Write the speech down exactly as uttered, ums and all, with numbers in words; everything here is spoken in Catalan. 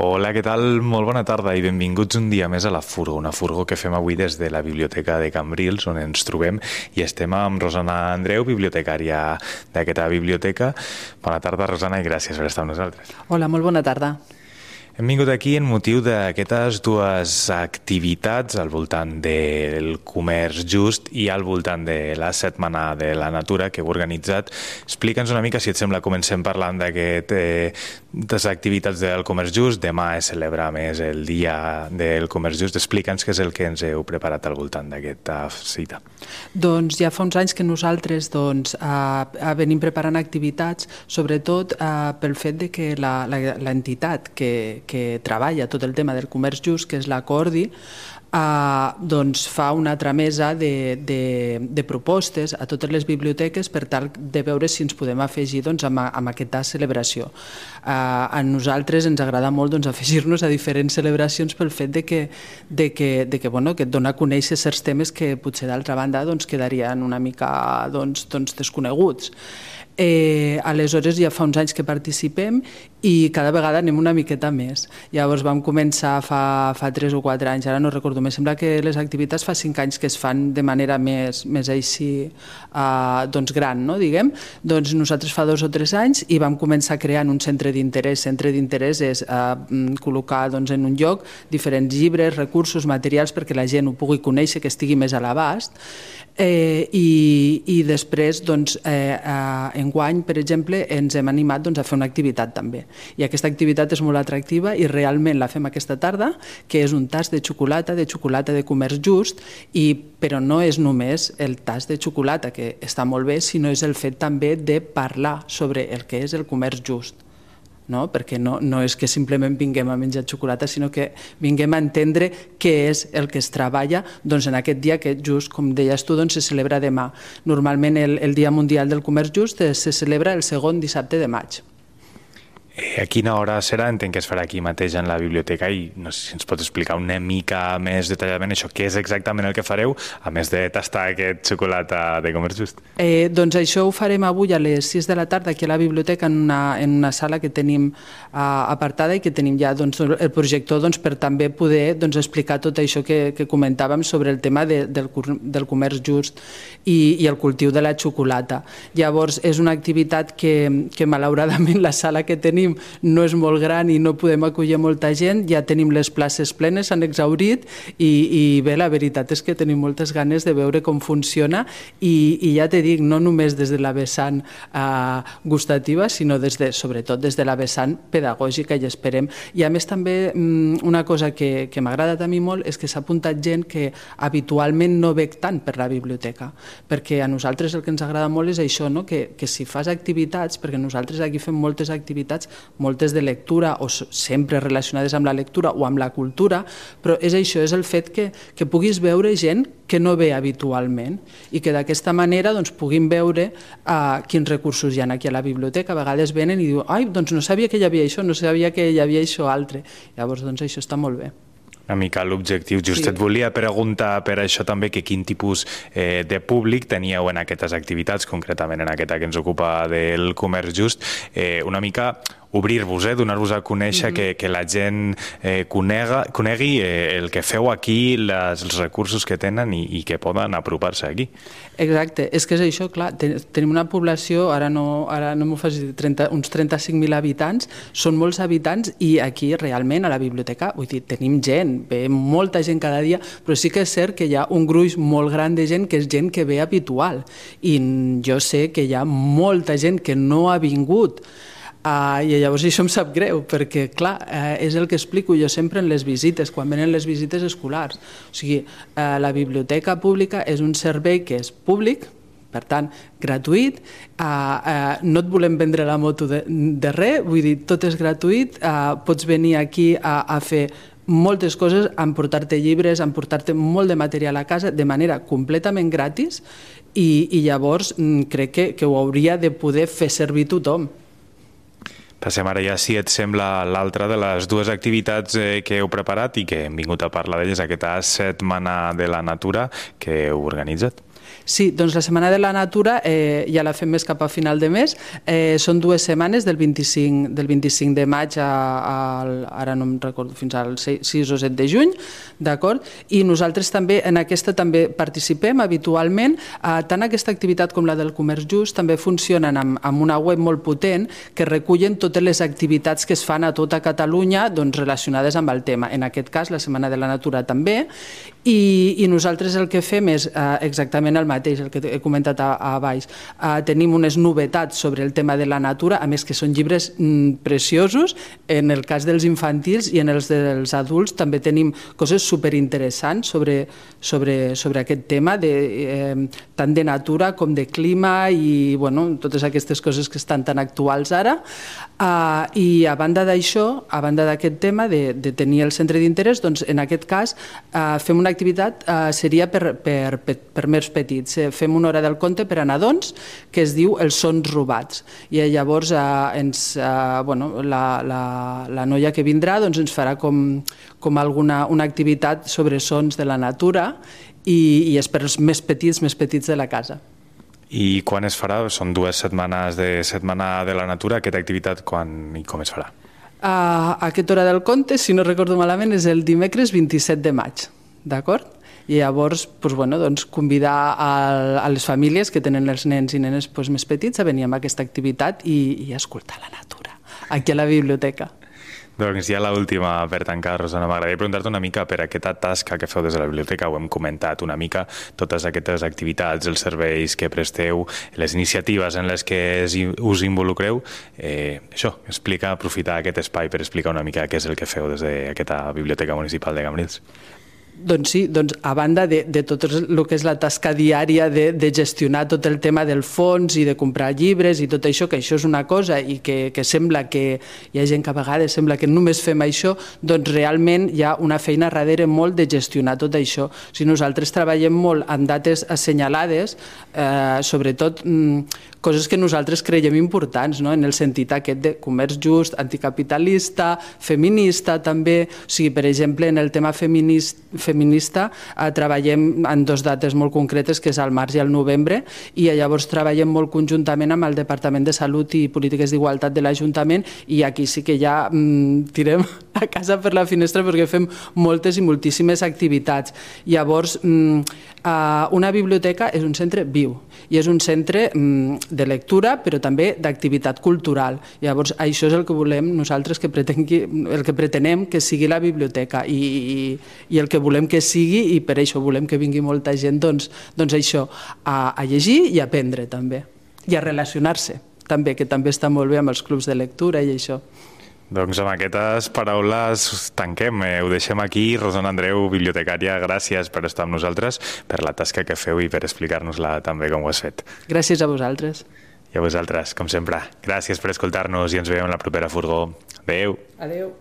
Hola, què tal? Molt bona tarda i benvinguts un dia més a la Furgo, una Furgo que fem avui des de la Biblioteca de Cambrils, on ens trobem i estem amb Rosana Andreu, bibliotecària d'aquesta biblioteca. Bona tarda, Rosana, i gràcies per estar amb nosaltres. Hola, molt bona tarda. Hem vingut aquí en motiu d'aquestes dues activitats al voltant del comerç just i al voltant de la Setmana de la Natura que heu organitzat. Explica'ns una mica, si et sembla, comencem parlant d'aquestes activitats del comerç just. Demà es celebra més el Dia del Comerç Just. Explica'ns què és el que ens heu preparat al voltant d'aquesta cita. Doncs ja fa uns anys que nosaltres doncs, eh, venim preparant activitats, sobretot eh, pel fet de que l'entitat que que treballa tot el tema del comerç just, que és la Cordi, eh, doncs fa una tramesa de, de, de propostes a totes les biblioteques per tal de veure si ens podem afegir doncs, amb, amb aquesta celebració. Eh, a nosaltres ens agrada molt doncs, afegir-nos a diferents celebracions pel fet de que, de que, de que, bueno, que et dona a conèixer certs temes que potser d'altra banda doncs, quedarien una mica doncs, doncs, desconeguts. Eh, aleshores ja fa uns anys que participem i cada vegada anem una miqueta més. Llavors vam començar fa, fa tres o quatre anys, ara no recordo més, sembla que les activitats fa cinc anys que es fan de manera més, més així eh, doncs gran, no, diguem. Doncs nosaltres fa dos o tres anys i vam començar creant un centre d'interès. Centre d'interès és eh, col·locar doncs, en un lloc diferents llibres, recursos, materials perquè la gent ho pugui conèixer, que estigui més a l'abast. Eh, i, i després doncs, eh, eh, enguany, per exemple, ens hem animat doncs, a fer una activitat també, i aquesta activitat és molt atractiva i realment la fem aquesta tarda, que és un tast de xocolata, de xocolata de comerç just, i, però no és només el tast de xocolata, que està molt bé, sinó és el fet també de parlar sobre el que és el comerç just. No? Perquè no, no és que simplement vinguem a menjar xocolata, sinó que vinguem a entendre què és el que es treballa doncs, en aquest dia que just, com deies tu, doncs, se celebra demà. Normalment el, el Dia Mundial del Comerç Just se celebra el segon dissabte de maig. A quina hora serà? Entenc que es farà aquí mateix en la biblioteca i no sé si ens pots explicar una mica més detalladament això, què és exactament el que fareu, a més de tastar aquest xocolata de comerç just. Eh, doncs això ho farem avui a les sis de la tarda aquí a la biblioteca en una, en una sala que tenim eh, apartada i que tenim ja doncs, el projector doncs, per també poder doncs, explicar tot això que, que comentàvem sobre el tema de, del, del comerç just i, i el cultiu de la xocolata. Llavors és una activitat que, que malauradament la sala que tenim no és molt gran i no podem acollir molta gent, ja tenim les places plenes, s'han exhaurit i, i bé, la veritat és que tenim moltes ganes de veure com funciona i, i ja te dic, no només des de la vessant eh, gustativa, sinó des de, sobretot des de la vessant pedagògica i esperem. I a més també una cosa que, que m'ha agradat a mi molt és que s'ha apuntat gent que habitualment no ve tant per la biblioteca, perquè a nosaltres el que ens agrada molt és això, no? que, que si fas activitats, perquè nosaltres aquí fem moltes activitats, moltes de lectura o sempre relacionades amb la lectura o amb la cultura, però és això, és el fet que, que puguis veure gent que no ve habitualment i que d'aquesta manera doncs, puguin veure uh, quins recursos hi ha aquí a la biblioteca. A vegades venen i diuen, ai, doncs no sabia que hi havia això, no sabia que hi havia això altre. Llavors, doncs això està molt bé. Una mica l'objectiu. Just sí. Et volia preguntar per això també que quin tipus eh, de públic teníeu en aquestes activitats, concretament en aquesta que ens ocupa del comerç just, eh, una mica obrir-vos, eh, donar-vos a conèixer, mm-hmm. que, que la gent eh, conega, conegui eh, el que feu aquí, les, els recursos que tenen i, i que poden apropar-se aquí. Exacte, és que és això, clar, ten, tenim una població, ara no, ara no m'ho facis, trenta, uns trenta-cinc mil habitants, són molts habitants i aquí realment a la biblioteca, vull dir, tenim gent, ve molta gent cada dia, però sí que és cert que hi ha un gruix molt gran de gent que és gent que ve habitual i jo sé que hi ha molta gent que no ha vingut. Uh, I llavors això em sap greu, perquè clar, uh, és el que explico jo sempre en les visites, quan venen les visites escolars. O sigui, uh, la biblioteca pública és un servei que és públic, per tant, gratuït, uh, uh, no et volem vendre la moto de, de res, vull dir, tot és gratuït, uh, pots venir aquí a, a fer moltes coses, a emportar-te llibres, a emportar-te molt de material a casa de manera completament gratis i, i llavors crec que, que ho hauria de poder fer servir tothom. Passem ara ja, si et sembla, l'altra de les dues activitats eh, que heu preparat i que hem vingut a parlar d'elles, aquesta Setmana de la Natura que heu organitzat. Sí, doncs la Setmana de la Natura eh, ja la fem més cap a final de mes. Eh, són dues setmanes, del vint-i-cinc, del vint-i-cinc de maig a, a, ara no em recordo, fins al sis o set de juny, d'acord? I nosaltres també en aquesta també participem habitualment. Eh, tant aquesta activitat com la del comerç just també funcionen amb, amb una web molt potent que recullen totes les activitats que es fan a tota Catalunya doncs, relacionades amb el tema. En aquest cas, la Setmana de la Natura també. I, i nosaltres el que fem és eh, exactament el mateix, el que he comentat a, a baix. Eh, tenim unes novetats sobre el tema de la natura, a més que són llibres mm, preciosos, en el cas dels infantils i en els dels adults també tenim coses superinteressants sobre, sobre, sobre aquest tema, de, eh, tant de natura com de clima i bueno, totes aquestes coses que estan tan actuals ara. Eh, I a banda d'això, a banda d'aquest tema de, de tenir el centre d'interès, doncs en aquest cas eh, fem una activitat eh, seria per, per, per, per més petits. Eh, fem una hora del conte per a nadons que es diu Els sons robats. I llavors eh, ens, eh, bueno, la, la, la noia que vindrà doncs, ens farà com, com alguna una activitat sobre sons de la natura i, i és per als més petits, més petits de la casa. I quan es farà? Són dues setmanes de Setmana de la Natura. Aquesta activitat quan i com es farà? Uh, aquesta hora del conte, si no recordo malament, és el dimecres vint-i-set de maig. D'acord? I llavors doncs, bueno, doncs, convidar a, a les famílies que tenen els nens i nenes doncs, més petits a venir amb aquesta activitat i, i escoltar la natura aquí a la biblioteca. Doncs ja l'última per tancar, Rosana. M'agradaria preguntar-te una mica per aquesta tasca que feu des de la biblioteca. Ho hem comentat una mica, totes aquestes activitats, els serveis que presteu, les iniciatives en les que us involucreu. Eh, això, explica, aprofitar aquest espai per explicar una mica què és el que feu des d'aquesta Biblioteca Municipal de Cambrils. Doncs sí, doncs a banda de, de tot el que és la tasca diària de, de gestionar tot el tema del fons i de comprar llibres i tot això, que això és una cosa i que, que sembla que hi ha gent que a vegades sembla que només fem això, doncs realment hi ha una feina darrere molt de gestionar tot això. Si nosaltres treballem molt en dates assenyalades, eh, sobretot mm, coses que nosaltres creiem importants, no? En el sentit aquest de comerç just, anticapitalista, feminista també, o sigui, per exemple, en el tema feminista feminista eh, treballem en dues dates molt concretes, que és el març i el novembre, i llavors treballem molt conjuntament amb el Departament de Salut i Polítiques d'Igualtat de l'Ajuntament, i aquí sí que ja mm, tirem a casa per la finestra perquè fem moltes i moltíssimes activitats. Llavors, mm, eh, una biblioteca és un centre viu i és un centre mm, de lectura, però també d'activitat cultural. Llavors, això és el que volem nosaltres, que pretengui, el que pretenem que sigui la biblioteca i, i, i el que volem que sigui, i per això volem que vingui molta gent, doncs, doncs això, a, a llegir i a aprendre també, i a relacionar-se també, que també està molt bé amb els clubs de lectura i això. Doncs amb aquestes paraules tanquem, eh, ho deixem aquí. Rosana Andreu, bibliotecària, gràcies per estar amb nosaltres, per la tasca que feu i per explicar-nos-la també com ho has fet. Gràcies a vosaltres. I a vosaltres, com sempre. Gràcies per escoltar-nos i ens veiem en la propera furgó. Adéu. Adéu.